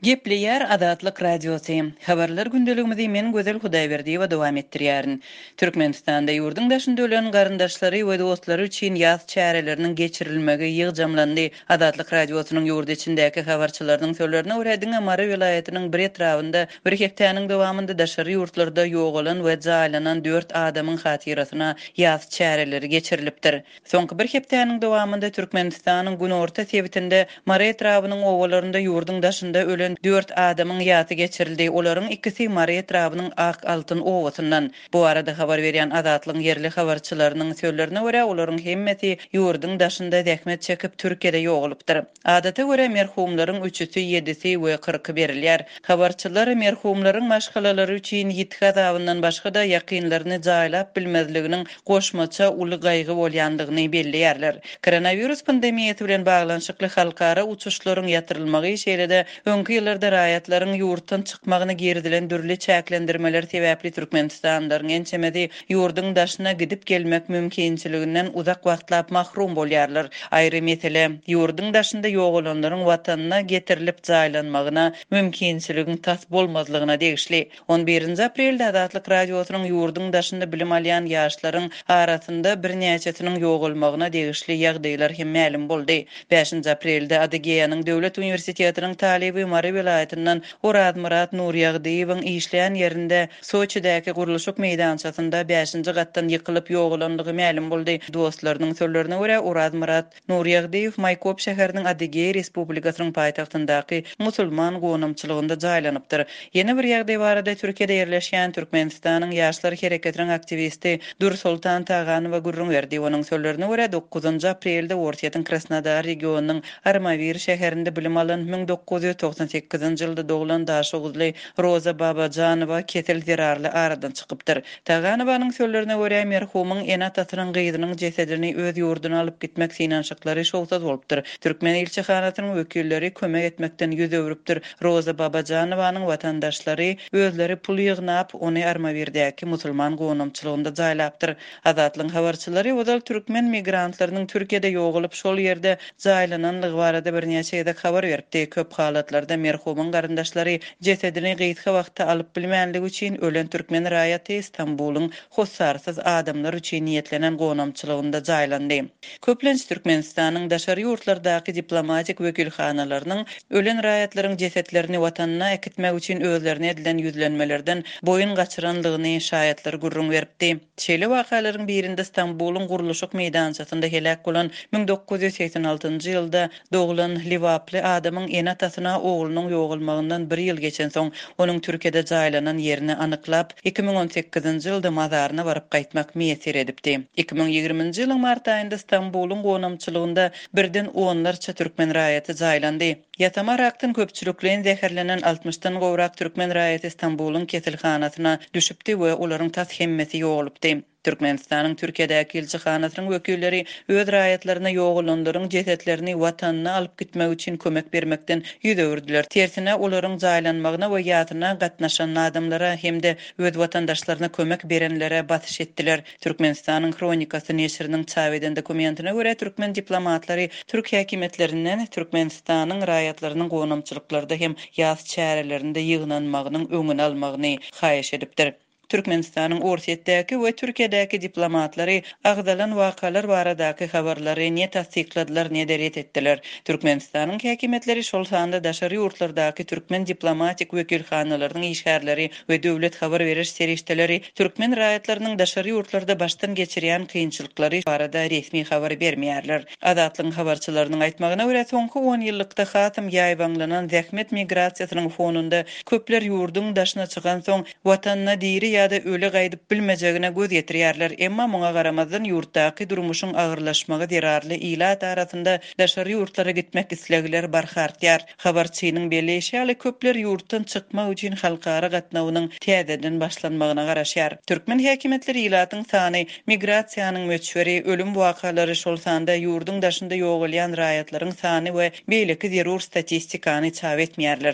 Gepleýär Azatlyk Radiosy. Habarlar gündeligimizi men Gözel Hudaýberdiýewa dowam etdirýärin. Türkmenistanda ýurduň daşynda ölen garyndaşlary we dostlary üçin ýas çäreleriniň geçirilmegi ýygjamlandy. Azatlyk Radiosynyň ýurt içindäki habarçylarynyň sözlerine görä, diňe Mary welaýatynyň bir etrabynda bir hepdäniň dowamynda daşary ýurtlarda ýogalan we jaýlanan dört adamyň hatyrasyna ýas çäreleri geçirilipdir. Soňky bir hepdäniň dowamynda Türkmenistanyň günorta sebitinde Mary etrabynyň obalarynda ýurduň daşynda ölen dört adamyň ýasy geçirildi. Olaryň ikisi Mary etrabynyň Ak altyn obasyndan. Bu barada habar berýän Azatlygyň ýerli habarçylarynyň sözlerine görä, olaryň hemmesi ýurduň daşynda zähmet çekip, Türkiýede ýogalypdyr. Adata görä, merhumlaryň üçüsi, ýedisi we kyrky berilýär. Habarçylar merhumlaryň maşgalalary üçin ýitgi azabyndan başga-da ýakynlaryny jaýlap bilmezliginiň goşmaça uly gaýgy bolýandygyny belleýärler. Koronawirus pandemiýasy bilen baglanyşykly halkara uçuşlaryň ýatyrylmagy, şeýle-de öňki ýyllarda raýatlaryň ýurtdan çykmagyna girizilen dürli çäklendirmeler sebäpli türkmenistanlylaryň ençemesi ýurduň daşyna gidip-gelmek mümkinçiliginden uzak wagtlap mahrum bolýarlar. Aýry mesele, ýurduň daşynda ýogalanlaryň watanyna getirilip jaýlanmagyna mümkinçiligiň tas bolmazlygyna degişli. On birinji aprelde Azatlyk Radiosynyň ýurduň daşynda bilim alýan ýaşlaryň arasynda birnäçesiniň ýogalmagyna degişli ýagdaýlar hem mälim boldy. Bäşinji aprelde Adygeýanyň döwlet uniwersitetiniň talyby Mary welaýatyndan Orazmyrat Nurýagdyýewiň işleýän ýerinde Soçidäki gurluşyk meýdançasynda bäşinji gatdan ýykylyp ýogalandygy mälim boldy. Dostlarynyň sözlerine görä, Orazmyrat Nurýagdyýew Maýkop şäheriniň Adygeý Respublikasynyň paýtagtyndaky musulman gonamçylygynda jaýlanypdyr. Ýene bir ýagdaý barada Türkiýede ýerleşýän Türkmenistanyň Ýaşlar hereketiniň aktiwisti Dürsoltan Taganowa gürrüň berdi. Onuň sözlerine görä, dokuzynjy aprelde Orsýetiň Krasnodar regionynyň Armawir şäherinde bilim alan 1998-nji ýylda doglan daşoguzly Roza Babajanowa kesel zerarly aradan çykypdyr. Taganowanyň sözlerine görä, merhumyň ene-atasynyň gyzynyň jesedini öz ýurduna alyp gitmek synanyşyklary şowsuz bolupdyr. Türkmen ilçihanasynyň wekilleri kömek etmekden ýüz öwrüpdir. Roza Babajanowanyň watandaşlary özleri pul ýygnap, ony Armawirdäki musulman gonamçylygynda jaýlapdyr. Azatlygyň habarçylary ozal türkmen migrantlarynyň Türkiýede ýogalyp, şol ýerde jaýlananlygy barada birnäçe gezek habar beripdi. Köp halatlarda merhumyň garyndaşlary jesedini gysga wagtda alyp bilmänligi üçin ölen türkmen raýaty Stambulyň hossarsyz adamlar üçin niýetlenen gonamçylygynda jaýlandy. Köplenç Türkmenistanyň daşary ýurtlardaky diplomatik wekilhanalarynyň ölen raýatlaryň jesetlerini watanyna äkitmek üçin özlerine edilen ýüzlenmelerden boýun gaçyranlygyny şaýatlar gürrüň beripdi. Şeýle wakalaryň birinde Stambulyň gurluşyk meýdançasynda heläk bolan 1986-njy ýylda doglan lebaply adamyň ene-atasyna oglunyň ýogalmagyndan bir ýyl geçensoň, onuň Türkiýede jaýlanan ýerini anyklap, 2018-nji ýylda mazaryna baryp gaýtmak miýesser edipdi. 2020-nji ýylyň mart aýynda Stambulyň gonamçylygynda birden onlarça türkmen raýaty jaýlandy. Ýasama rakdan köpçülikleýin zäherlenen altmyşdan gowrak türkmen raýaty Stambulyň keselhanasyna düşüpdi we olaryň tas hemmesi ýogalypdy. Türkmenistanyň Türkiýedäki ilçihanasynyň wekilleri öz raýatlaryna ýogalanlaryň jesetlerini watanyna alyp gitmek üçin kömek bermekden ýüz öwürdiler. Tersine, olaryň jaýlanmagyna we ýasyna gatnaşan adamlara hem-de öz watandaşlaryna kömek berenlere basyş etdiler. Türkmenistanyň Hronikasy neşiriniň çap eden dokumentine görä, türkmen diplomatlary türk häkimiýetlerinden Türkmenistanyň raýatlarynyň gonamçylyklarda hem ýas çärelerinde ýygnanmagynyň öňüni almagyny haýyş edipdir. Türkmenistanyň Orsýetdäki we Türkiýedäki diplomatlary agzalan wakalar baradaky habarlary ne tassykladylar, ne-de ret etdiler. Türkmenistanyň häkimiýetleri, şol sanda daşary ýurtlardaky türkmen diplomatik wekilhanalarynyň işgärleri we döwlet habar beriş serişdeleri türkmen raýatlarynyň daşary ýurtlarda başdan geçirýän kynçylyklary barada resmi habar bermeýärler. Azatlygyň habarçylarynyň aýtmagyna görä, soňky onýyllykda hasam ýaýbaňlanan zähmet migrasiýasynyň fonunda köpler ýurduň daşyna çykansoň, watanyna diri ýa-da öli gaýdyp bilmejegine göz ýetirýärler. Emma muňa garamazdan, ýurtdaky durmuşyň agyrlaşmagy zerarly ilat arasynda daşary ýurtlara gitmek islegler barha artýar. Habarçynyň belleýşi ýaly, köpler ýurtdan çykmak üçin halkara gatnawynyň täzeden başlanmagyna garaşýar. Türkmen häkimiýetleri ilatyň sany, migrasiýanyň möçberi, ölüm wakalary, şol sanda ýurduň daşynda ýogalýan raýatlaryň sany we beýleki zerur statistikany çap etmeýärler.